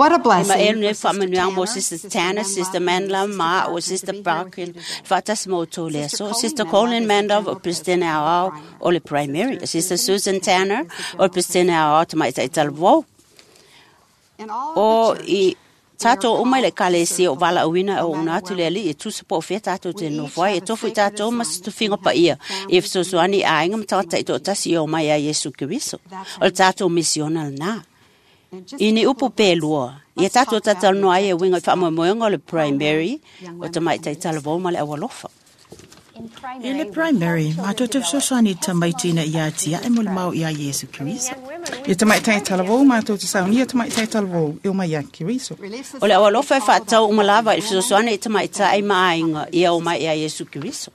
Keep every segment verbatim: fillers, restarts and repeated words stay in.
What a E ma blessing e le for Sister whaamanuiaga mo Tanner, Sister Sister Tanner, Manlove, Sister and Mandla Sister ma Barkin o to Sister be here with Barkin you today. faatasi ma outou le Sister aso. Colleen Sister Mandlove Colleen is the Mandlove o General President President of Aoao Primary. o le Primary. Sister Sister Susan Susan Tanner Tanner is the o le General President President Aoao Tamaitai Talavou. In all of O the church, i we are tātou uma i le called to ekalesia serve o the Lord, valaauina no o una matter atu where le we alii e tusa po o fea tātou We te each nofo ai have e a tofu i sacred tātou ma se assignment tofiga and have paia e families and fesoasoani i aiga ma ministries tagata in i toatasi i o mai ia Iesu Keriso. That's O le our tātou mission. misiona lenā. In just I a ni couple upu of pē words, lua. Ia let's tātou talk about the tatalanoa ai e uiga i objectives of faamoemoega o le primary primary young o women and tamaitai youth. talavou ma le aualofa. I le primary, mātou te fesoasoani tamaiti ina ia atiae mo le mau ia Iesu Keriso. I tamaitai talavou, mātou te saunia tamaitai talavou, e o mai ia Keriso. Relief O le Society aualofa e called faatatau on uma all lava i le young women fesoasoani i tamaitai ma aiga ia o mai ia Iesu Keriso.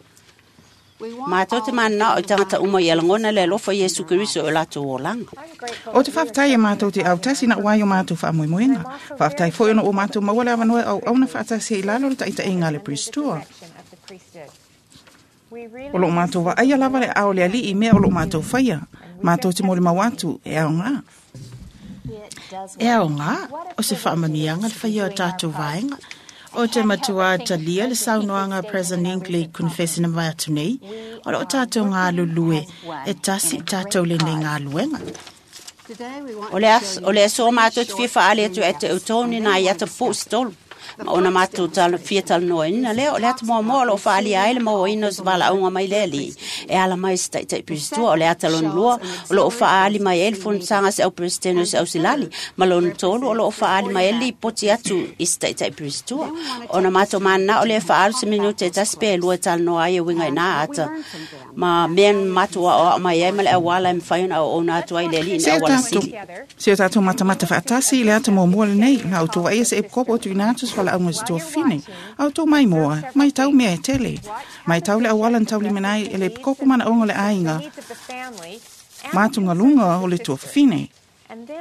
We want Mātou te all mananao i to tagata find uma ia lagona le alofa Jesus in Iesu their Keriso lives. o latou olaga. O te whaafatai e mātou te autasi na wai o mātou whaamoemoenga. Whaafatai foi ona o mātou maua le awanoa au auna whaatasi i lalo le taitainga le pristua. O lo mātou wa aia lava le ao le ali i mea o lo mātou whaia. Mātou te mole mau atu e ao ngā. E ao ngā, o se whaamanianga le whaia o tātou vaenga. O te matua talia le saunoanga President Ingley confessina mai atu nei, o lo o tātou ngā lulue e tasi tātou le nei ngā luenga. Today we want O to le show as you o le aso three mātou te short fia whaale atu e te vignettes utoni and nā then we i want ata to po discuss stolu. The Ma ona first mātou tala fia demonstration talanoaina is lea o le ata talks muamua o about lo o whaalia ai le receiving the maua call ina o of se the Lord valaauga mai to le the alii. priesthood. E ala mai se taitai The pristua o le second ata lona shows lua an o lo o auxiliary whaali mai ai le priest fonosaga se au presidente o And se au the silali. third Ma lona tolu o lo o represents whaali mai ai le reporting back to lipoti the atu priesthood. i se taitai pristua. Then we want to Ona take mātou just a mananao minute le to whaalu talk se about minute e those tasi pe clips lua talanoa ai e uiga i and nā what we ata. learned from them Ma and mea how we can mātou serve ao the mai ai ma Lord le auala e mawhai ona o ona atu ai le alii Se ni o auala tātou, sili. se o tātou matamata whaatasi i le ata mua le nei, na o tō aia se e kopo o tuina atu whala au se tō whine. Au tō mai moa, mai tau mea e tele. Mai tau le awala tau limenai e le kopo mana ongo le ainga, mātu ngalunga o le tō whine.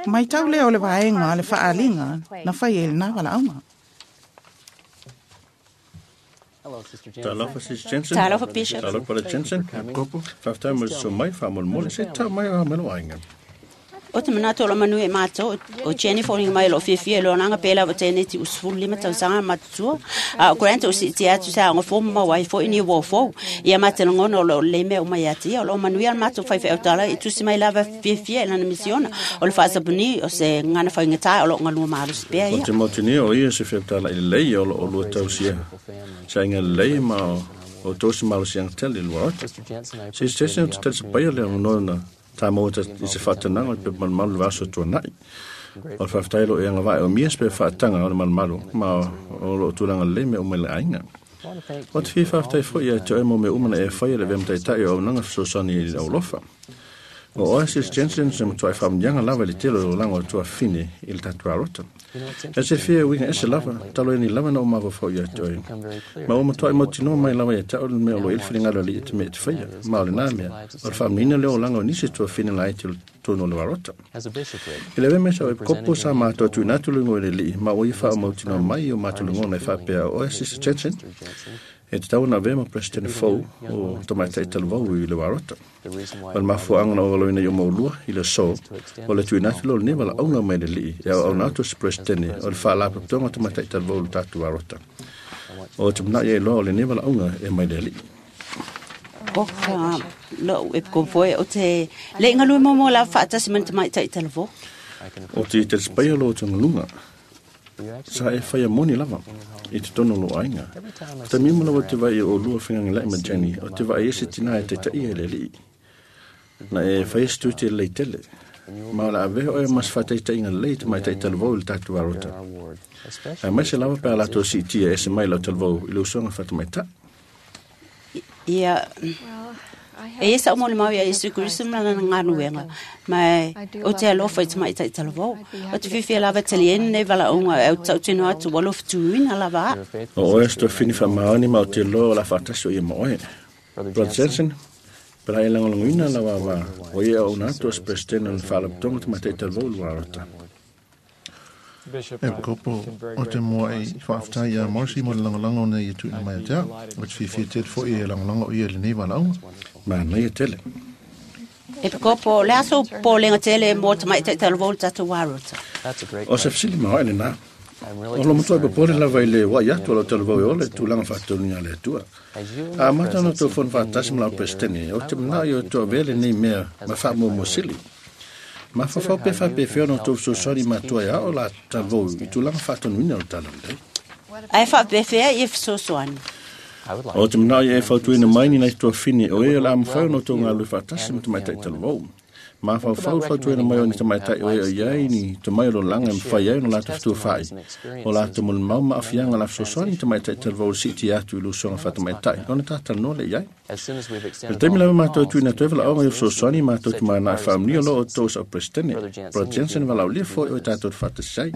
Mai tau lea o le vaenga le whaalinga, na whai e le nā wala aunga. Talofa Sister Jensen. Talofa Bishop. Talofa Brother Jensen. Kopo. Whaafatai mo so mai whaamolomole se tau mai o hamelo ainga. O te manatu o lo manu e mātou, o Jenny fōringa mai lo fiafia lo nanga pēla o tēnei ti usufulu lima tausaga matutua. A o Grant o si te atu sa o fō mau ai fō ini wō fō. Ia mā te langona o lo le mea o mai ati, o lo manu ia mātou whai whai tala i tusi mai lava fiafia e lana misiona. O le whaasapuni o se ngana whai ngatai o lo ngalua maru spea O ia. te mautini o ia se whiaptala i le lei o lo o lua tausia. Sa inga lei ma o, o tōsi malo siang tele lua ota. Sister Jensen o te tele se paia le angonona tā maua i se whaatananga o te pepa malumalu le vaso tua nai. O le whaafatai lo e anga vae o mia spe whaatanga o le malumalu ma o, o lo o tūranga lei me o mai le ainga. O te whia whaafatai fo ia te oe mo me umana e whaia le vea mataitai o aunanga fesoasoani i le aulofa. O oe Sis Jensen se matua i whaamnianga lava i le tele o langa o tua whine i le tatu arota. E se whia winga ese lava, talo e ni lava na o mawa fo ia te oe. Ma o matua i mautinoa mai lava ia te o le mea o lo ilfili ngalo li i te mea te whaia. Ma o le nā mea, o le whaamnina le o langa o nisi tua whine lai te tōno le warota. I le mesa o e kopo sa mātou tu natu lungo i le lii, ma o i wha o mautinoa mai o mātou lungo nei whapea o oe Sister Jensen, e te tau na vema president fou o tamaitai talavou i le warota. O le mafuaanga na ogaloina i o maulua i le so, o le tuina atu lo le newa la aunga mai le lii, e au auna atu se president o le whaalapaputonga o tamaitai talavou le tātou warota. O te manaia e loa o le newa la aunga e mai le lii. O ka lo e kofoe o te le ngalua momo la whaatasi man tamaitai talavou. O te te spaia lo o te ngalunga, sa e whaia moni lava i te tono lo ainga. Ta mimo lava te vai o lua whinganga lai ma Jenny, o te vai ese tina e te tai e le lii. Na e whaia stu te lei tele. Ma o la aveho e mas whaataitai inga lei te mai tai talavou i le tātou arota. A mai se lava pe a lato si tia e se mai lau talavou i le usonga whata mai ta. Ia e esa o mo le mau ia Iesu Kristo ma lana nganuenga. Mai o te alofa i tamaitai talavou. O te whiwhia lava talieni nei valaauga e au tautino atu ua lofutuina lava a. O oe sto whini whamaoni ma o te loa o la whaatasi o ia ma oe. Brother Jensen, pera e langolongoina la wawa, o ia o nātua se president o le whaalaputonga te mai tai talavou le warota. E kopo o te moa i whaaftai ia Morrissey mo le langolango nei e tuina mai atea. O te whiwhia te fo i e langolango i e le nei walaunga. Ma nei e tele. E kopo le aso po lenga tele mo tamaitai talavou le tātou warota. O se fesili maoaʻi lenā. O lo matua popole lava i le uaʻi atu o lau talavou e ola i tulaga faatonuina a le Atua. A amata ona outou fono faatasi ma lau Peresetene, ou te manaʻo ia outou avea lenei mea ma faamuamua sili. Mafaufau pe faapefea ona outou fesoasoani i matua e aʻo la talavou i tulaga faatonuina o le talalelei. Ae faapefea ia fesoasoani. Ou te manaʻo ia e fautuaina mai ni nai tuafine o e o le a mafai ona outou galulue faatasi ma tamaitai talavou. Mafaufau le fautuaina mai o ni tamaitai o e o i ai ni tomai o lolaga e mafai ai ona latou fetuafaʻi o latou molimau ma aafiaga o le a fesoasoani i tamaitai talavou i le siitia atu i le usoga faatamaitai ona tatalanoa lea i ai. I le taimi lava matou e tuuina atu ai valaauga i fesoasoani matou te mananaʻo e faamanuia loa outou sa o Peresetene Brother Jensen valaaulia foi o e tatou te faatasi ai.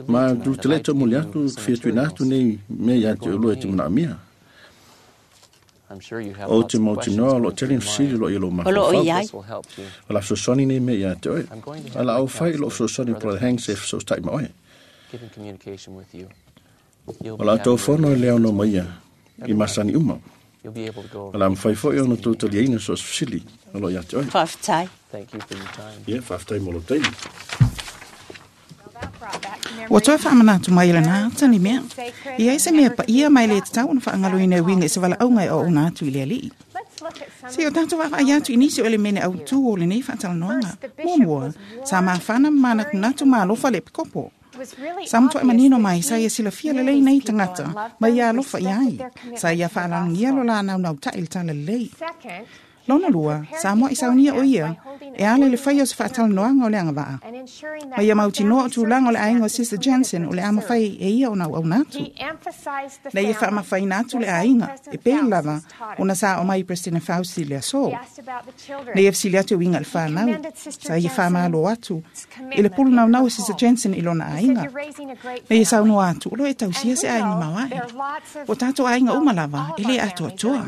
Ma ou te le i taumuli atu te fia tuuina atu nei mea ia te oulua e te manaomia. Ou te mautinoa o loo tele ni fesili o loo i lou O loo mafaufau. i ai. O le a fesoasoani nei mea ia te oe. Ae o le a ou fai i lou fesoasoani o Brother Hanks e fesootaʻi ma oe. O le a outou fono e le aunoa ma ia i masani uma. O le a mafai foi ona outou taliaina so o se fesili o loo ia te oe. Faafetai. Ia, faafetai mo lou taimi. Ua toe faamanatu mai e lenā tani mea. E i ai se mea paia ma e lē tatau ona faagaloina e uiga i se valaauga e oauna atu i le Alii. Se i o tatou vaavaai atu i nisi o elemene autū o lenei faatalanoaga. Muamua, sa mafana ma manatunatu ma alofa le epikopo. Sa matuai manino mai sa ia silafia lelei nei tagata ma ia alofa i ai. Sa ia faalalogia lo la naunautai i le talalelei. Lona lua, sa moaʻi saunia o ia e ala i le faia o se faatalanoaga o le agavaa. Ma ia mautinoa o tulaga o le aiga o Sister Jensen o le a mafai e ia ona auauna atu. Na ia faamafaina atu le aiga e pei lava ona sa o mai President Fauci i le aso. Na ia fesili atu e uiga i le fanau. Sa ia faamalo atu i le pulu naunau o Sister Jensen i lona aiga. Na ia saunoa atu o lo e tausia se aiga maoaʻe. O tatou aiga uma lava e lē atoatoa.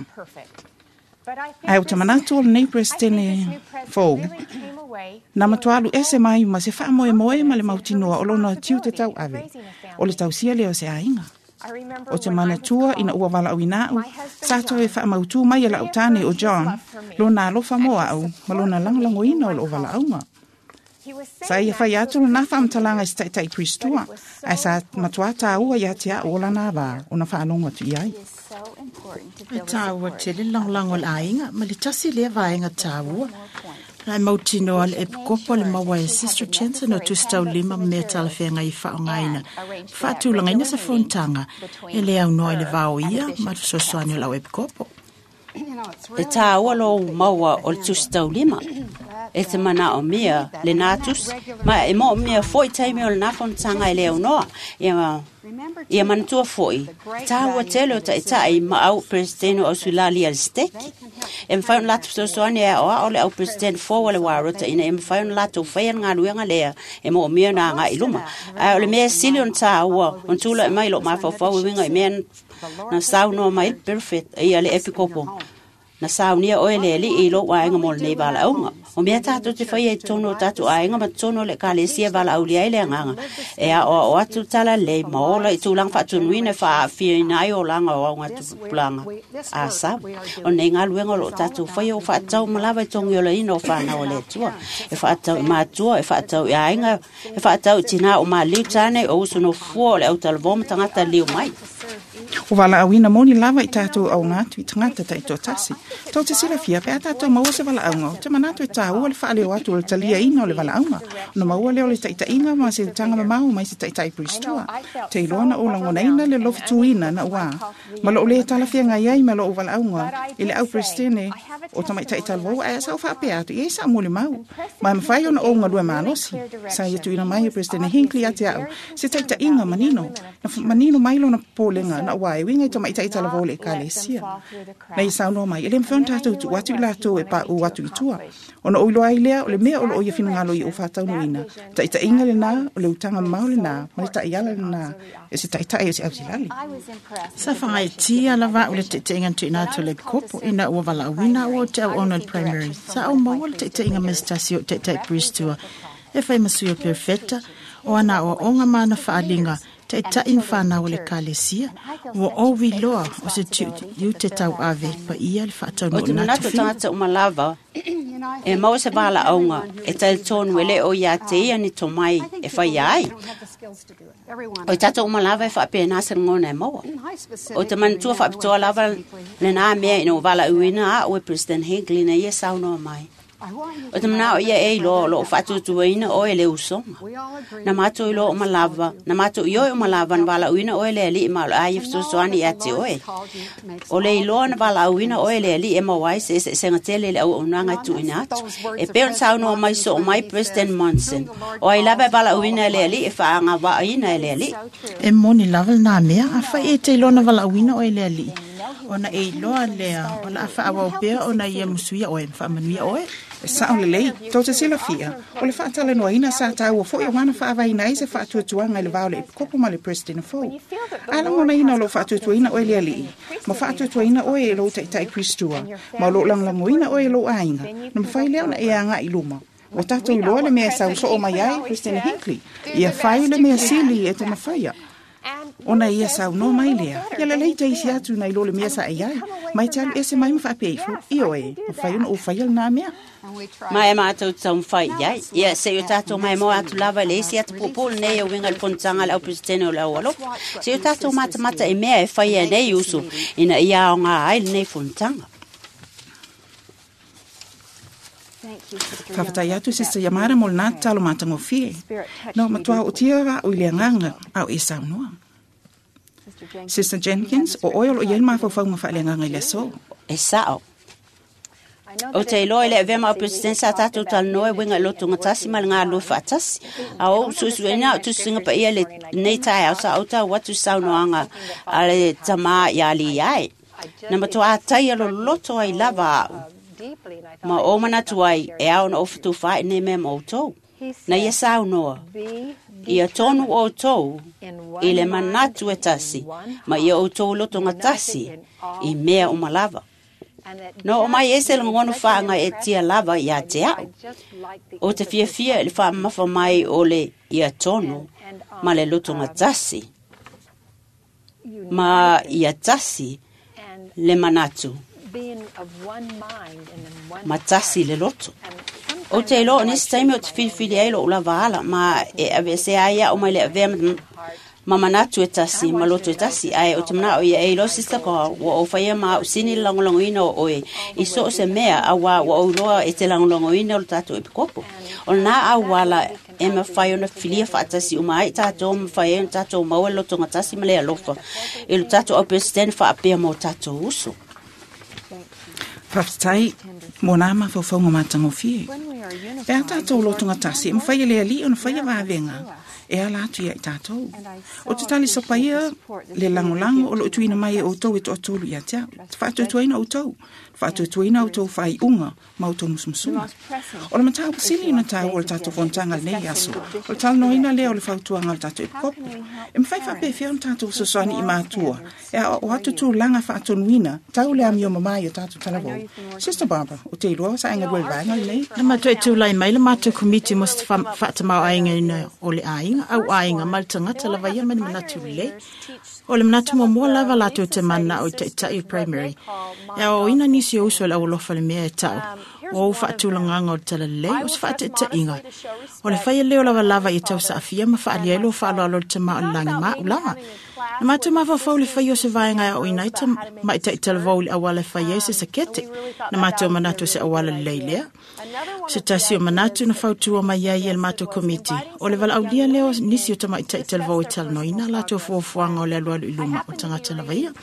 Ae ou te manatu o lenei Peresetene fou, na matua alu ese mai ma se faamoemoe ma le mautinoa o lona tiute tauave, o le tausia lea o se aiga. O te manatua ina ua valaauina aʻu, sa toe faamautū mai e laʻu tāne o John, lona alofa mo aʻu ma lona lagolagoina o loo valaauga. Sa ia fai atu lenā faamatalaga i se taʻitaʻi Priestua, ae sa matuā tāua ia te aʻu o lana vā ona faalogo atu i ai. E tāua tele lagolago o le aiga ma le tasi lea vaega tāua. Na e mautinoa le epikopo le maua e Sister Jensen o Tusi Taulima ma mea talafeagai i faaaogaina. Faatulagaina se fonotaga e le aunoa i le vao ia ma le fesoasoani o lau epikopo. E tāua lou maua o le Tusi Taulima. E te manaʻomia lenā tusi. Ma e moʻomia foi taimi o lenā fonotaga e le aunoa. Ia, ia manatua foi, tāua tele o taʻitaʻi ma au Peresetene o Ausulalia le steki. E mafai ona latou fesoasoani e aʻoaʻo le au Peresetene fou a le Warota ina ia mafai ona latou faia le galuega lea e moʻomia ona agaʻi luma. Ae o le mea sili ona tāua ona tulaʻi mai loo mafaufau e uiga i mea na saunoa mai le Perfect ia le epikopo. Na saunia oe le Alii i lou aiga mo lenei valaauga. O mea tatou te faia i totonu o tatou aiga ma totonu o le ekalesia e valaaulia ai le agaga. E aʻoaʻo atu talalelei ma ola i tulaga faatonuina e faaafiaina ai olaga o augatupulaga a sau. O lenei galuega o loo tatou faia o faatau ma lava i togiolaina o fanau a le Atua. E faatau i matua, e faatau i aiga, e faatau i tinā o maliu tāne o uso nofua o le autalavō ma tagata liu mai. O valaauina moni lava i tatou auga atu i tagata taitoatasi. Tou te silafia pe a tatou maua se valaauga, ou te manatu e tāua le faaleo atu o le taliaina o le valaauga, ona maua lea o le taʻitaʻiga ma se utaga mamao mai se taʻitaʻi Priestua. Te iloa na ou lagonaina le lofituina na uā, ma loo lē talafeagai ai ma loo valaauga i le au Peresetene o tamaitaʻi talavou ae sa ou faapea atu i ai saʻu molimau. Ma e mafai ona ou galue malosi. Sa ia tuuina mai e Peresetene Hinckley ia te aʻu se taʻitaʻiga manino, na manino mai lona popolega na ua e uiga i tamaitaʻi talavou o le ekalesia. Na ia saunoa mai, e lē mafai ona tatou tuu atu i latou e paʻū atu i tua. Ona ou iloa ai lea o le mea o loo ia finagalo ia ou faataunuina. Taʻitaʻiga lenā, o le utaga mamao lenā, ma le taʻiala lenā, e se taʻitaʻi o se ausilali. Sa fagaʻitia lava aʻu le taʻitaʻiga na tuuina atu o le epikopo ina ua valaauina aʻu o te auauna o le primary. Sa ou maua le taʻitaʻiga ma se tasi o taʻitaʻi Priestua e fai ma sui o Perfecta o ana aʻoaʻoga ma ana faaliga Taʻitaʻi ma fanau o le ekalesia ua ou iloa o se tiute tauave paia le O faataunuuʻa te na manatu tofiga. tagata uma lava e maua se valaauga e talitonu e lē o iā te ia ni tomai e faia ai. O i tatou uma lava e faapena se lagona e maua. O te manatua faapitoa lava lenā mea ina ua valaauina a'u e President Hinckley na ia saunoa mai. O te manao ia e iloa o loo faatuatuaina oe e le usoga. Na matou iloa uma lava, na matou ioe uma lava na valaauina oe le Alii ma o le a ia fesoasoani ia te oe. O le iloa na valaauina oe le Alii e maua ai se eseesega tele i le auaunaga e tuuina atu. E pei ona saunoa mai soo mai President Monson. O ai lava e valaauina e le Alii e faagavaaina e le Alii. E moni lava lenā mea afai e te iloa na valaauina oe le Alii ona e iloa lea o le a faaauau pea ona ia musuia oe ma faamanuia oe. E sao lelei, tou te silafia, o le faatalanoaina sa taua foʻi auā na faavaeina ai se faatuatuaga i le va o le epikopo ma le President fou. A lagonaina o loo faatuatuaina oe le Alii, ma faatuatuaina oe e lou taʻitaʻi Kristua, ma o loo lagolagoina oe e lou aiga, na mafai lea ona e agaʻi luma. Ua tatou iloa le mea e sausoo mai ai President Hinckley, ia fai le mea sili e te mafaia. Ona ia saunoa mai lea, ia lelei teisi atu nai lo le mea sa e ai, mai te alu ese mai ma faapea ifo, ioe, mafai ona ou faia lenā mea. Ma e matou taumafai i ai. Ia seʻi o tatou maimoa atu lava i le isi ata puupuu lenei e uiga i le fonotaga a le au Peresetene o le au alofa. Seʻi o tatou matamata i mea e faia e nei uso ina ia aogā ai lenei fonotaga. Faafetai atu Sister Yamada mo lenā tatalo matagofie. Na matuā ootia a'u i le agaga a o e saunoa. Sister Jenkins, o oe o loo i ai le mafaufauga faaleagaga i le aso. E sao. O te iloa i le avea ma au President sa tatou talanoa e uiga i lotogatasi ma le galulue faatasi. A o ou suesueina o tusitusiga paia i lenei taeao sa ou tau atu i saunoaga a le tamā iā Liae. Na matuā taia loloto ai lava a'u. Ma ou manatu ai e ao ona ou fetufaai nei mea ma outou. Na ia saunoa, ia tonu outou i le manatu e tasi, ma ia outou lotogatasi i mea uma lava. Na oo mai ese le lagona faagaeetia lava iā te a'u. O te fiafia i le faamamafa mai o le ia tonu ma le lotogatasi, ma ia tasi le manatu, ma tasi le loto. O te iloa o nisi taimi o te filifili ai lou lava ala, ma e aveesea ai a'u mai le avea ma manatu e tasi, ma loto e tasi, ae o te manao ia e iloa Sister Carl, ua ou faia ma a'u sini le lagolagoina o oe i so o se mea, auā ua ou iloa e te lagolagoina o le tatou epikopo. O lenā auala e mafai ona filia faatasi uma ai tatou, ma mafai ai ona tatou maua le lotogatasi ma le alofa i lo tatou au Peresetene faapea mo tatou uso. Faafetai mo nā mafaufauga matagofie. Pe a tatou lotogatasi, e mafai e le Alii ona faia vavega e ala atu ia i tatou. O te talisapaia le lagolago o loo tuuina mai e outou e toatolu ia te a'u. Te faatuatuaina outou, faatuatuaina outou faaiuga ma outou musumusuga. O le mataupu sili ona taua o le tatou fonotaga lenei aso, o le talanoaina lea o le fautuaga o le tatou epikopo. E mafai faapefea ona tatou fesoasoani i matua e aoao atu tulaga faatonuina tau le amio mamā i o tatou talavou. Sister Barbara, o te iloa sa e galue i le vaega lenei. Na matou e tulai mai le matou komiti mo se faatamao o le aiga, au aiga ma le tagata lava ia ma ni manatu lelei. O le manatu muamua lava latou te mananao i taʻitaʻi o primary. E aoaoina nisi o uso e le aualofa le mea e tau. O ou faatulagaga o le talalelei o se faataʻitaʻiga. O le faia lea o lavalava ia tausaafia ma faaalia ai lou faaaloalo i le tamā o le lagi ma a'u lava. Na matou mafaufau le faia o se vaega e aoaoina ai tamaitaʻi talavou i le auala e fai ai se sakete. Na matou manatu o se auala lelei lea. Se tasi o manatu na fautua mai ai e le matou komiti. O le valaaulia lea o nisi o tamaitaʻi talavou e talanoaina latou fuafuaga o le alualu i luma o tagata lava ia.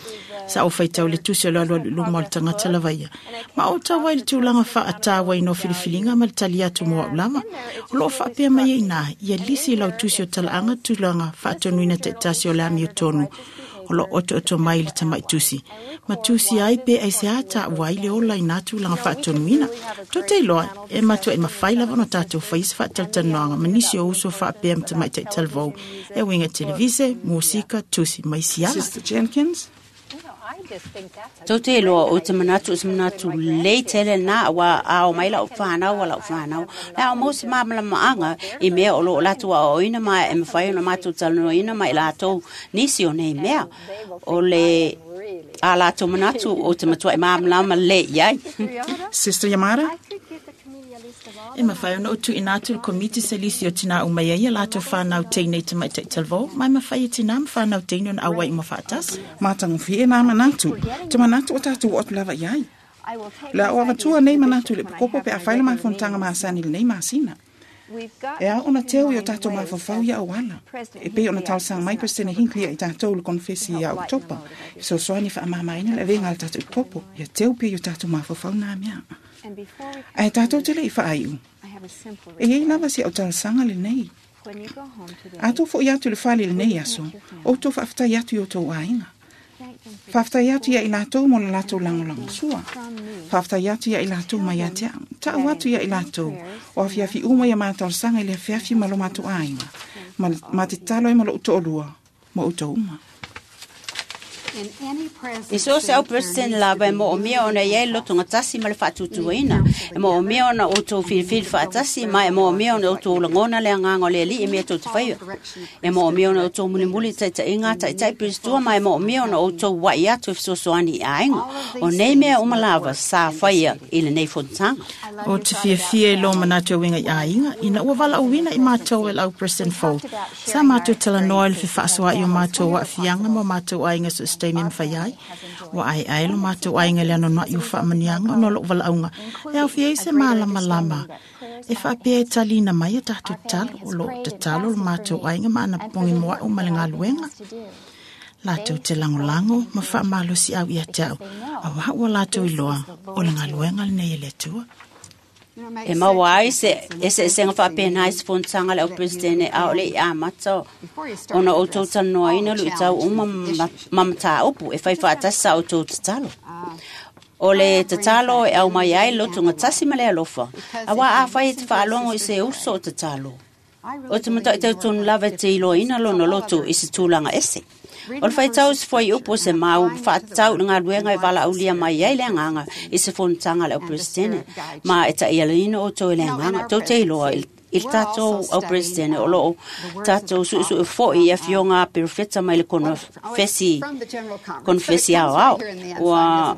Sa ou faitau le tusi o le alualu i luma o le tagata lava ia. Ma ou tau ai le tulaga faatauaina o filifiliga ma le tali atu mo a'u lava. O loo faapea mai ai inā, ia lisi i lau tusi o talaaga tulaga faatonuina taʻitasi o le amiotonu o loo otooto mai le tamaʻi tusi. Ma tusi ai pe aiseā taua ai le ola i nā tulaga faatonuina. Tou te iloa e matuaʻi mafai lava ona tatou faia se faatalatalanoaga ma nisi o uso faapea ma tamaitaʻi talavou e uiga i televise, musika, tusi ma isi ala. Sister Jenkins. Tau te loa o te manatu o se manatu lei tele nā wa ao mai lau whanau wa lau whanau. La o mo se māmalamaanga i mea o lo o latu a oina mai e mawhai ona mātou talanoina mai lātou nisi o nei mea. O le a lātou manatu o te matua e māmalama le iai. Sister Yamada? E mawhai ona o tuina atu le komiti se lisi o tina o mai ai lātou whanau teinei te mai taitalavou, mai mawhai e tina ma whanau teine ona awai uma whaatasi. Mātangofie nā manatu, te manatu o tātou o atu lava iai. La o avatua nei manatu le pukopo pe a whaila mafontanga maasani le nei maasina. E a ona teo i o tātou mawhawhau ia awala. E pe ona talsang mai President Hinckley i tātou le konfesi ia Oktopa. E sosoani wha amamaina le venga le tātou kopo. Ia teo pe i o tātou mawhawhau nā mea. Ae tātou te le i whaaiu. E hei lava si au talsanga le nei. Atu fo i atu le whale le nei aso. O tō whaaftai atu i o tō ainga. Whaaftai atu ia i lātou mo le lātou langolango sua. Whaaftai atu ia i lātou mai atea. Ta'u atu ia i lātou. O afiafi uma ia mātalsanga i le afiafi malo mātou ainga. Ma, ma te talo e malo uto olua. Mo uto uma. I so se au president lava e mo o mea ona iai loto ngatasi ma le whaatutuaina. E mo o mea ona o tō whiriwhiri whaatasi ma e mo o mea ona o tō langona le anganga o le ali i mea tō te whaia. E mo o mea ona o tō mulimuli taitaiga taitai prestua ma e mo o mea ona o tō wai atu e fesoasoani i aiga. O nei mea uma lava sa whaia i le nei fontanga. O te fiafia i lo manatu winga i aiga, ina ua wala uwina i mātou e lau president fou. Sa mātou talanoa i le whiwhaasoa i o mātou wa fianga mo mātou aiga so steimi mwhai ai. Wa ai ai lo mātou aiga le anonoa i o whaamanianga no lo walaunga. E au fia i se mālama lama. E whaapea e talina mai a tātou talo o lo te talo lo mātou aiga ma ana pongi moa o malengaluenga. Lātou te langolango ma whaamalosi au ia te au. A waha ua lātou i loa o le ngaluenga le nei e le atua. E maua ai se e se senga whaapena ai se fontanga le au presidente a ole i amata ona o tō tanoaina lu i tau uma mamata upu e whai whaatasa o tō tatalo. O le tatalo e au mai ai loto ngatasi ma le alofa. A wā a whai e te whaalongo i se uso o tatalo. O te matai tau tonu lava te iloina lono loto i se tūlanga ese. O le whaitau se whai upo se mau whaatau le ngā luenga i wala aulia mai ai le nganga i se fontanga le au presidente. Ma e ta ialina o tō le nganga tō te iloa i le tātou au presidente o loo tātou su su e fo i a fionga perfecta mai le konfesi konfesi ao ao. Ua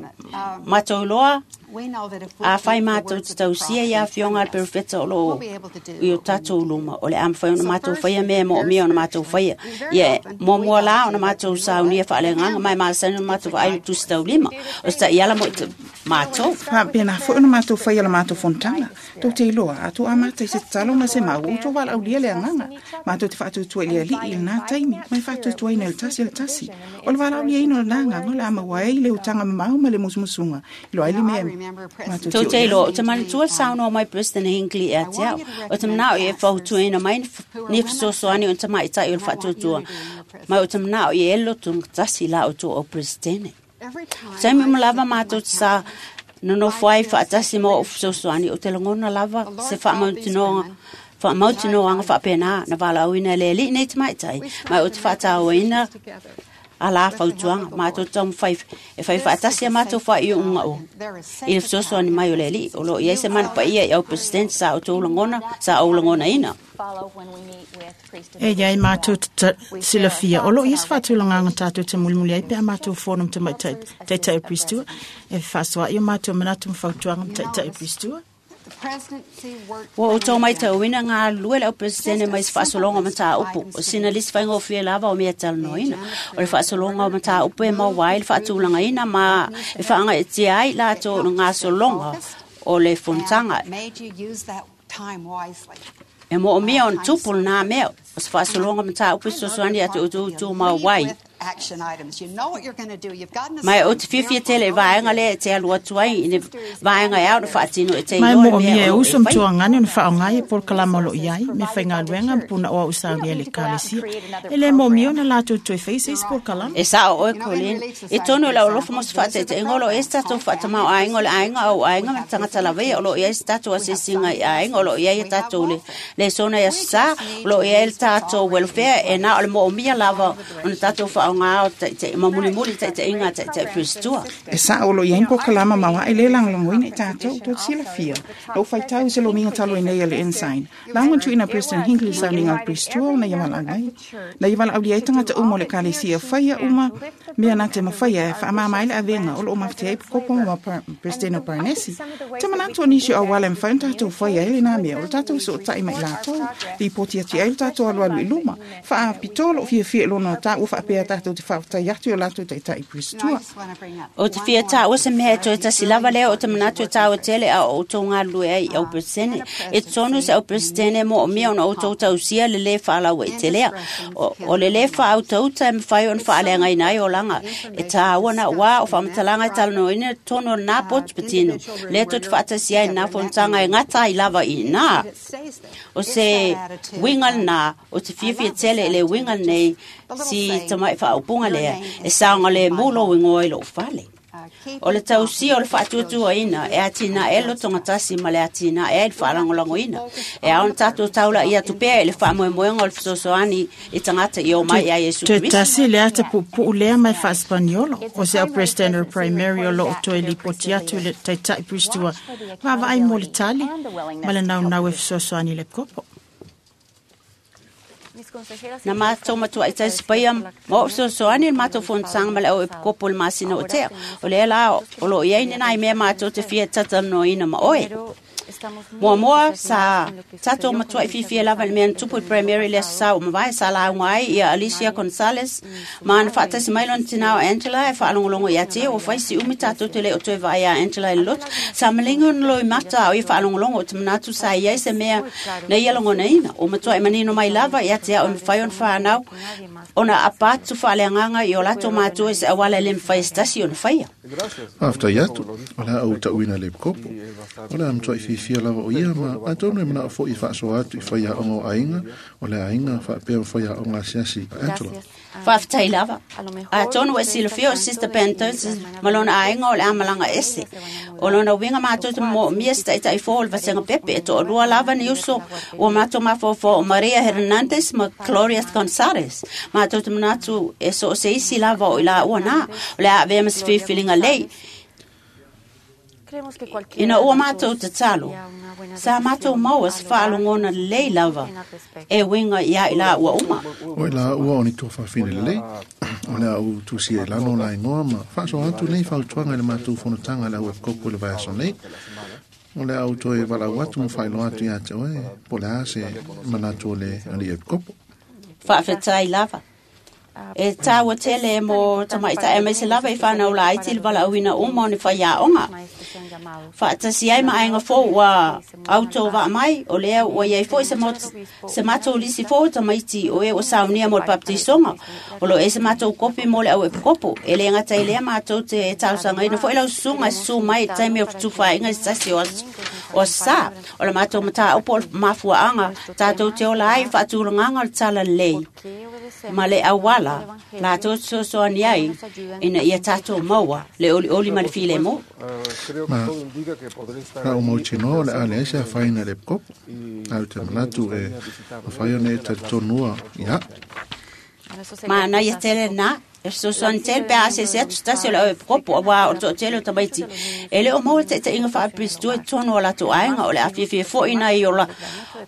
mātou loa a whai mātou te tausia i a fionga perfecta o loo i o tātou luma. O le a mwhai ona mātou whaia mea mo o mea ona mātou whaia. Ia mua mua la ona mātou saunia whaale nganga mai māsani ona mātou whaai tusi taulima. O se ta iala mo i te mātou. Whaapena fo ona mātou whaia la mātou fontanga. Tō te iloa, atu a mātou se talo ma se mau, o tō wala aulia le anganga. Mātou te whaatutua i le ali i le nā taimi, mai whaatutua i le tasi le tasi. O le wala aulia ino le nā nganga, le ama wai le utanga mamau ma le musumusunga. Ilo ai le mea Tō te iloa, o te manatua saunoa mai President Hinckley e ate au. O te manao i e whahutuaina mai ni fesoasoani o te maitai o le whaatuatua. Mai o te manao i e loto ngatasi la o tō o President. Taimi uma lava mātou te sa nonofo ai whaatasi mo o fesoasoani o te langona lava se whaamautinoanga whaamautinoanga whaapena na walaauina le li nei te maitai. Mai o te whaatauaina a la fautuanga mātou tau whai e whai whaatasi a mātou whai i unga o. I le fesoasoani mai o le li o lo iai se mana pa ia i au president sa o tō langona sa o langona ina. E iai mātou silafia. O lo ia se whaatulanganga tātou te mulimuli ai pe a mātou whonam te mai taitai o Pristua. E whasoa i o mātou manatu mwhautuanga taitai o Pristua. Ua o tau mai tauina ngā lue le au presidente mai se whaasolonga o mataa upu. O sina lisi whainga o fia lava o mea talanoina. O le whaasolonga o mataa upu e mauai le whaatulanga ma e whaanga e tia ai lātou ngā solonga o le fontanga. E mo o mea o tupu nā mea o se whaasolonga mataa upu e sosoani atu o tū tū mauai. Mai o te whiwhia tele vaenga le te alu atu ai i ne vaenga e au na whaatino e te Mai iloa mo o mea mea e o uso e whai. mtua ngani ona whaongai e por kalama lo iai me whai ngā luenga mpuna o au saunia le kalesia. E le mo mea ona lātou toe whaisa i por kalama. E sao oe Colleen. E tono la olofa mo se whaate te ingolo e sato whaatamau ainga le ainga au ainga me tangata lavea o lo ia se tato asesinga i ainga o lo ia ia tato le le sona ia sa o lo ia le tato welfare e na o le mo o mea lava ona tato whaonga faaoga o taʻitaʻi ma mulimuli taʻitaʻiga a taʻitaʻi Pilistua. E sa o lo i ai polokalama mauaʻe lē lagolagoina i tatou tou silafia. Lou faitau se lomiga talo i nei a le Ensign. Lauga tuuina President Hinckley sauniga a le Pilistua ona ia valaau ai. Na ia valaaulia ai tagata uma o le ekalesia faia uma mea na te mafaia e faamama ai le avega o loo mafatia ai Kopo ma President o Paranesi. Te manatu o nisi o auala e mafai ona tatou faia ai lenā mea o le tatou sootaʻi mai latou. Lipoti atu ai le tatou alualu i luma. Faapitoa loo fiafia i lona o taua faapea tatou te faafatai atu i o latou taʻitaʻi Pilistua. O te fia taua se mea e toe tasi lava lea o te manatu e taua tele a o outou galulue ai i au Peresitene. E totonu se au Peresitene mo o mea ona outou tausia le lē faalauaitelea. O, o le lē faautauta e mafai ona faaleagaina ai olaga. E tāua na uā o faamatalaga e talanoaina totonu o lenā potu patino. Lea tou te faatasi ai lenā fonotaga e gata ai lava i inā. O se uiga lenā o te fiafia tele i le uiga lenei si tamaʻi faaupuga lea e saogalēmū lou igoa i lou fale. O le tausia o le faatuatuaina e atinae ai le lotogatasi ma le atinae ai le faalagolagoina. E ao ona tatou taulaʻi atu pea i le faamoemoega o le fesoasoani i tagata i o mai ia Iesu Toe Keriso. tasi le ata puupuu lea mai faa-Spaniolo o se au President o Primary o loo toe lipoti atu i le taʻitaʻi Pilistua vaavaai mo le tali ma le naunau e fesoasoani i le kopo. Na matou matuaʻi taisi paia ma oo fesoasoani le matou fonotaga ma le au epikopo i le masina o tea. O lea la o loo iai lenā i mea matou te fia tatalanoaina ma oe. Muamua sa tatou matuaʻi fiafia lava i le mea na tupu i Primary le aso sa ua mavae sa lauga ai ia Alicia Gonzalez ma na faatasi mai lona tinā o Angela e faalogologo ia te ua fai si umi tatou te le o toe vaai iā Angela i le loto. Sa maligi ona loimata a o ia faalogologo o te manatu sa iai se mea na ia lagonaina. Ua matuaʻi manino mai lava ia te au e mafai ona fanau ona apa atu faaleagaga i o latou matua i se auala e lē mafai e se tasi ona faia. Faafetai atu o le a ou tauina le epikopo. O le a matuai fiafia lava o ia ma atonu e manao foʻi e faasoa atu i faiaoga o aiga o le aiga faapea ma faiaoga asiasi a Angela. Faafetai lava. Atonu e silafia o Sister Pantos ma lona aiga o le amalaga ese. O lona uiga matou te moomia se taʻitaʻi fou o le vasega pepe e toalua lava ni uso ua matou mafaufau o Maria Hernandez ma Gloria Gonzalez. Matou te manatu e so o se isi lava o i laua nā. O le a avea ma se filifiliga lei. Ina ua matou tatalo, sa matou maua se faalogona lelei lava e uiga ia i laua uma. O i laua o ni tofaafine lelei, o le a ou tusia i lalo la igoa ma faasoa atu nei fautuaga i le matou fonotaga le au epikopo i le vaiaso nei. O le a ou toe valaau atu ma faailoa atu ia te oe po o le a se manatu o le alii epikopo. Faafetai lava. E taua tele mo tamaʻitaʻi aemaise lava i fanau laiti le valaauina uma o ni faiaoga. Faatasi ai ma aiga fou ua autou vaa mai o lea ua iai foʻi se se matou lisi fou tamaiti o e ua saunia mo le baptisoga. O loo ese matou kopi mo le au epikopo. E lē gata i lea matou te talosagaina foʻi lau susuga e susū mai i le taimi o fetufaaiga i se tasi o aso o sa. O le matou mataupu o le mafuaaga tatou te ola ai i faatulagaga o le tala lelei ma le auala latou te fesoasoani ai ina ia tatou maua le olioli ma le filemu. Ma a o mautinoa o le a leai se afaina i le epikopo. A o te manatu e mafai ona e talitonua ia. Manaia tele lenā e fesoasoani tele pe a asiasi atu se tasi o le au epikopo auā o le toatele o tamaiti e le o maua le taʻitaʻiga faapilistua i totonu o latou aiga o le a fiafia foʻi nai o la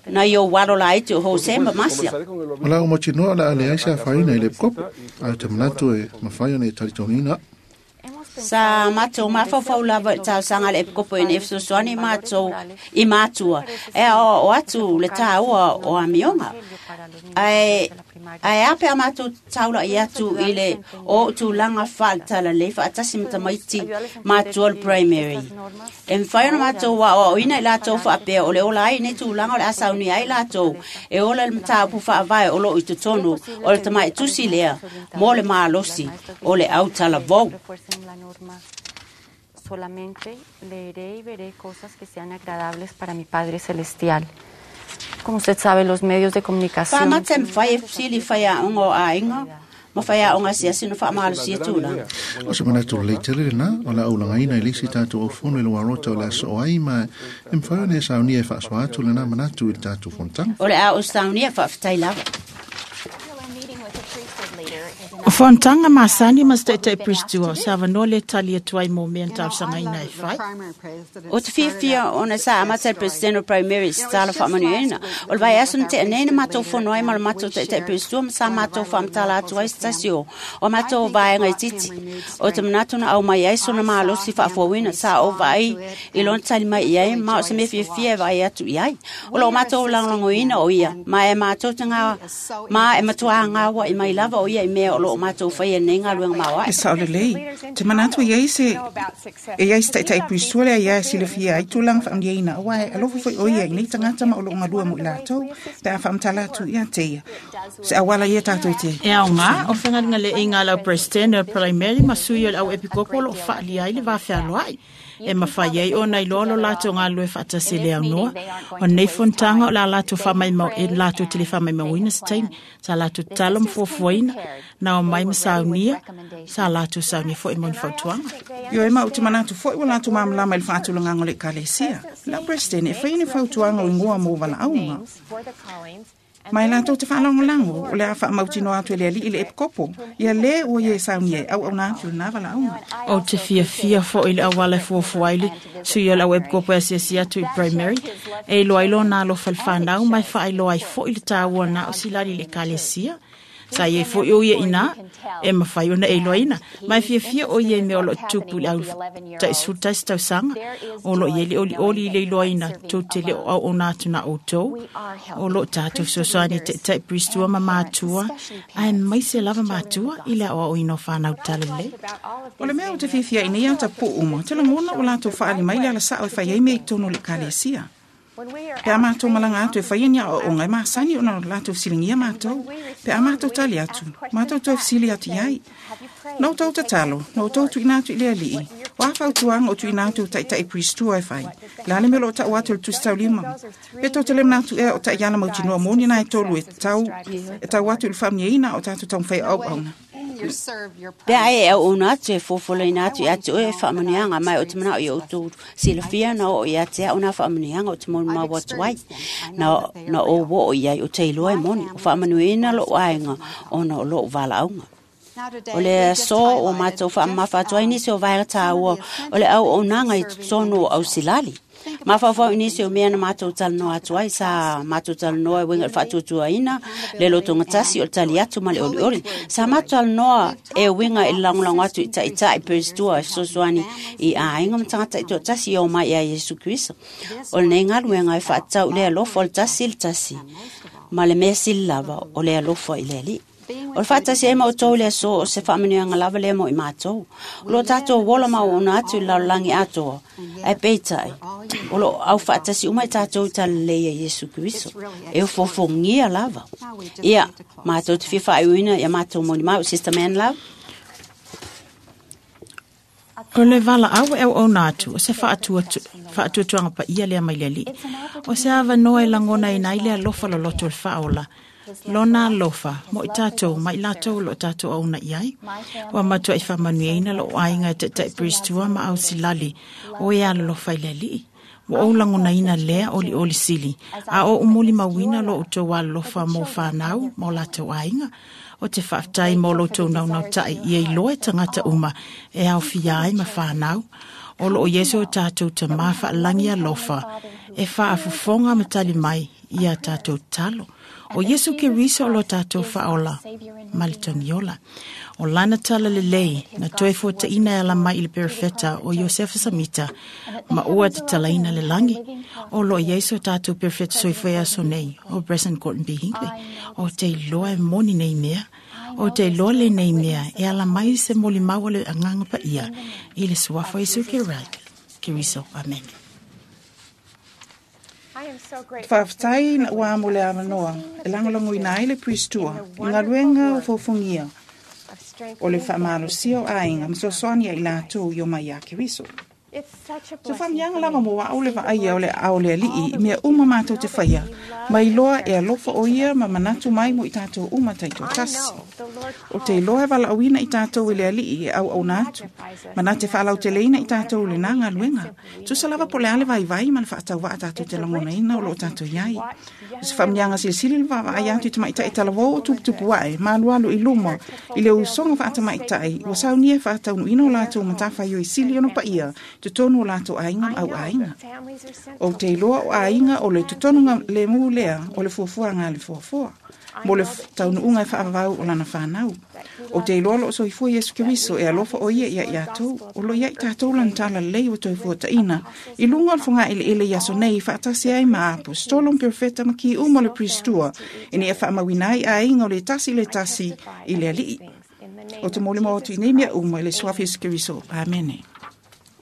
nai ou alo laiti o Jose ma Masia. O le a o mautinoa o le a leai se afaina i le epikopo. A o te manatu e mafai ona e talitonina. Sa matou mafaufau lava i le talosaga a le epikopo ina ia fesoasoani i matou i matua e aoao atu le taua o amioga. Ae ae a pe a matou taulaʻi atu i le o oo tulaga faale-talalelei faatasi ma tamaiti matua o le primary. E mafai ona matou aoaoina i latou faapea o le ola ai nei tulaga o le a saunia ai latou e ola i le mataupu faavae o loo i totonu o le tamaʻi tusi lea mo le malosi o le autalavou. Solamente leeré y veré cosas que sean agradables para mi Padre Celestial. Como usted sabe, los medios de comunicación Faamata e mafai e fesili i faiaoga o aiga ma faiaoga asiasi ona faamalosia tulaga. O se manatu lelei tele lenā, o le a ulagaina i le isi tatou aufono i le uarota o le aso o ai ma e mafai ona e saunia e faasoa atu lenā manatu i le tatou fonotaga. O le a ou saunia faafetai lava. O fonotaga masani ma se taʻitaʻi Priestua o se avanoa le tali atu ai mo mea na talosagaina e fai. O te fiafia ona sa amata le President o Primary se tala faamanuiaina. O le vaiaso na tea nei na matou fono ai ma le matou taʻitaʻi Priestua ma sa matou faamatala atu ai se tasi o o matou vaega itiiti. O te manatu na aumai ai sona malosi faafuauina sa ou vaai i lona tali mai i ai ma o se mea fiafia e vaai atu i ai. O loo matou lagolagoina o ia ma e matou te ngā ma e matuā gaoa i mai lava o ia i mea o loo matou faia nei galuega maoae. E sao lelei. Te manatu i ai se e ai se taʻitaʻi Priestua lea ia e silafia ai tulaga faamanuiaina auā e alofa foi o ia i nei tagata ma o loo galue mo i latou pe a faamatala atu ia te ia. Se auala ia tatou te. E aogā o fegaligaleʻiga a lau President o le Primary ma sui o le au epikopo o loo faalia ai le vafealoai. E mafai ai ona iloa lo latou galulue faatasi i le aunoa. O lenei fonotaga o le a latou faamaumau e latou te le faamaumauina se taimi. Sa latou tatalo ma fuafuaina na omai ma saunia, sa latou saunia foi mo ni fautuaga. Ioe ma ou te manatu foi ua latou malamalama i le faatulagaga o le ekalesia. Lau President e faia ni fautuaga o igoa mo valaauga. Ma e latou te faalagolago o le a faamautinoa atu e le alii le epikopo. Ia lē ua ia e saunia e auauna atu i lenā valaauga. Ou te fiafia foi i le auala e fuafua ai le sui o le au epikopo e asiasi atu i Primary. E iloa ai lona alofa i le fanau ma e faailoa ai foi le taua na o silali i le ekalesia. Sa iai foi o ia inā e mafai ona e iloaina. Ma e fiafia o ia i mea o loo tupu i le au taʻisefulu tasi tausaga. O loo iai le olioli i le iloaina tou te le o auauna atu na outou. O loo tatou fesoasoani e taʻitaʻi Priestua ma matua aemaise lava matua i le aoaoina o fanau talalelei. O le mea ou te fiafia ai nei atapuu uma, te lagona ua latou faaali mai le alasaʻo e fai ai mea i totonu o le ekalesia. Pe a matou malaga atu e faia ni aoaoga e masani ona latou fesiligia matou. Pe a matou tali atu, matou toe fesili atu i ai. Na outou tatalo, na outou tuuina atu i le alii. O a fautuaga o tuuina atu o taʻitaʻi Priestua e fai. O le a le mea o loo taʻu atu i le tusi taulima. Pe tou te le manatu ea o taʻiala mautinoa moni na e tolu e tau, e tau atu i le faamanuiaina o tatou taumafai o auauna. Pe a e auauna atu e fofolaina atu ia te oe e faamanuiaga mai o te manao i outou silafia na oo ia te au nā faamanuiaga o te molimau atu ai. Na, na ou oo i ai o te iloa e moni o faamanuiaina loo aiga ona o loo valaauga. O le aso o matou faamamafa atu ai nisi o vaega taua o le auaunaga i totonu o Ausilali. Mafaufau i nisi o mea na matou talanoa atu ai sa matou talanoa e uiga i le faatuatuaina le lotogatasi o le tali atu ma le olioli. Sa matou talanoa e uiga i le lagolago atu i taʻitaʻi Priestua e fesoasoani i aiga ma tagata taitoatasi i o mai ia Iesu Keriso. O lenei galuega e faatatau i le alofa o le tasi i le tasi ma le mea sili lava o le alofa i le alii. O le faatasi ai ma outou i le aso o se faamanuiaga lava lea mo i matou. O loo tatou ola ma auauna atu i le lalolagi atoa, ae peitai, o loo au faatasi uma i tatou i talalelei a Iesu Keriso. E ofofogia lava. Ia, matou te fia faaiuina ia matou molimau, Sister Manlove. O le valaau e auauna atu, o se faatuatuaga paia lea mai le alii. O se avanoa e lagonaina ai le alofa loloto o le faaola. Lona alofa mo i tatou ma i latou o loo tatou auauna i ai. Ua matuai faamanuiaina lou aiga e taʻitaʻi Priestua ma Ausilali o e alolofa i le alii. Ua ou lagonaina lea olioli sili, a o molimauina lo outou alolofa mo fanau ma o latou aiga. O te faafetai mo lo outou naunautai ia iloa e tagata uma e aofia ai ma fanau. O loo Iesu o tatou tamā faalagi alofa e faafofoga ma tali mai ia tatou tatalo. O Iesu Keriso o lo tatou faaola ma le togiola. O lana tala lelei na toe fuataʻina e ala mai i le perofeta o Iosefa Samita ma ua tatalaina le lagi. O loo Iesu o tatou perofeta soifua e aso nei o President Gordon B. Hinckley. O te iloa e moni nei mea. O te iloa lenei mea e ala mai se molimau o le agaga paia i le suafa o Iesu Keriso. Amen. Faafetai na ua mo le avanoa e lagolagoina ai le Priestua i galuega o fofogia o le faamalosia o aiga ma fesoasoani ia i latou i o mai ia Keriso. Se whamianga lava mo wa ole wa ai o le ao le alii i mea uma mātou te whaia. Mai loa e alofa o ia ma manatu mai mo i tātou uma taito tasi. O te iloa e wala auina i tātou i le alii e au au nātu. Mana te whaalau te leina i tātou le nā ngā luenga. Tusa lava po le ale vai vai ma le whaatau waa tātou te langona ina o lo tātou iai. O se whamianga silisili le wawa ai atu i te maitai talavou o tuputupu ae, malualu i luma, i le usonga whaata maitai, ua saunia whaatau ino o lātou matawhai o i sili ono pa ia, te tonu o lātou ainga au ainga. O te iloa o ainga o le tutonunga le mu lea o le fuafuaga le fuafua. Mo le taunuuga e faavavau o lana fanau. O te iloa loo soifua Iesu Keriso e alofa o ia ia iatou, o lo ia i tatou lana talalelei ua toe fuataʻina. I luga o le fogaʻeleʻele i aso nei faatasi ai ma apostolo ma perofeta ma kiʻi uma o le pristua, ina ia faamauina ai aiga o le tasi i le tasi i le alii. O te molemo atu i nei mea uma i le suafa Iesu Keriso. Amene.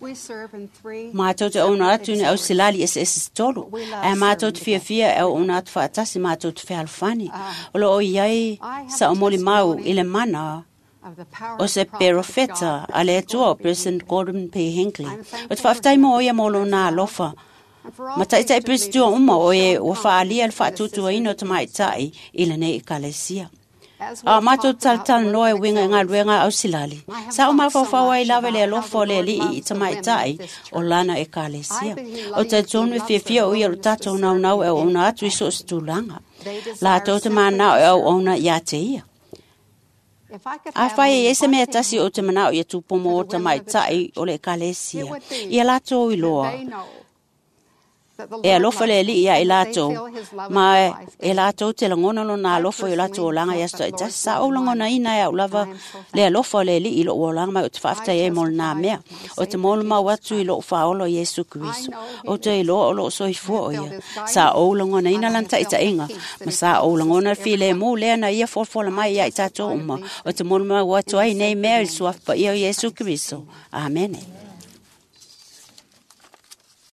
Mātou te auna atu ni au silali S S tolu. Ae mātou te fiafia e auauna atu faatasi mātou te fealofani. O lo o iai sa o moli mau i le mana o se perofeta a le Atua o President Gordon P. Hinckley. O te faafetai mo ia mo lona alofa. Ma taitai prestua uma o e ua faalia le faatutuaina o tamaitai i lenei ekalesia. A mātou talatala noa e winga i ngā luenga au silali. Sa o mafaufau ai lava le alofa o le alii i tamaitai o lana ekalesia. O te tonu e fiafia o ia lo tātou naunau e auauna atu i so o se tulaga. Lātou te manao e auauna ia te ia. A whai e ese mea tasi o te manao ia tūpomo o tamaitai o le ekalesia. Ia lātou i loa. E alofa le alii ia i lātou, ma e lātou te langona lona alofa i o lātou olaga i aso taʻitasi. Sa ou lagonaina e au lava le alofa o le alii i lou olaga mai o te faafetai ai mo lenā mea. O te molimau atu i lou faaola o Iesu Keriso. O te iloa o loo soifua o ia. Sa ou lagonaina lana taʻitaʻiga, ma sa ou lagona le filemu lea na ia folafola mai ia i tatou uma. O te molimau atu ai nei mea i le suafa paia o Iesu Keriso. Amene.